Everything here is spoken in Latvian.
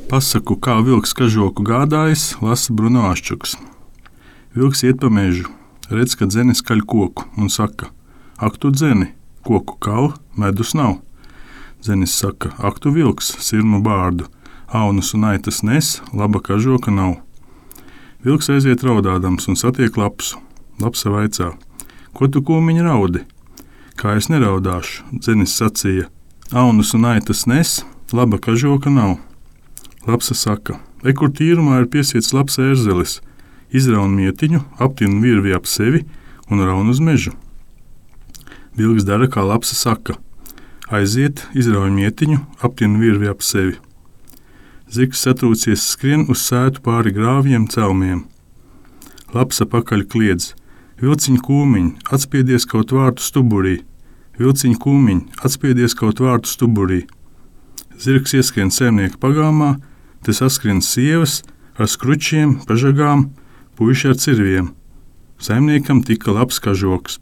Pasaku, kā vilks kažoku gādājis, lasa Bruno Aščuks. Vilks iet pa mežu, redz, ka dzene skaļ koku un saka: ak, tu dzeni, koku kal, medus nav. Dzenis saka: ak, tu vilks, sirmu bārdu, aunus un aitas nes, laba kažoka nav. Vilks aiziet raudādams un satiek lapsu. Lapsa vaicā: ko tu, kūmiņ, raudi? Kā es neraudāšu, dzenis sacīja: aunus un aitas nes, laba kažoka nav. Lapsa saka: kur tīrumā ir piesiets labs ērzelis, izraun mietiņu, aptin virvi ap sevi un raun uz mežu. Vilks dara, kā lapsa saka. Aiziet, izrauj mietiņu, aptin virvi ap sevi. Zirgs satrūcies skrien uz sētu pāri grāvjiem celmiem. Lapsa pakaļ kliedz: vilciņ kūmiņ, atspiedies kaut vārtu stuburī, vilciņ kūmiņ, atspiedies kaut vārtu stuburī. Zirgs ieskrien saimnieka pagāmā, te saskrien sievas ar skručiem, pažagām, puiši ar cirviem. Saimniekam tika labs kažoks.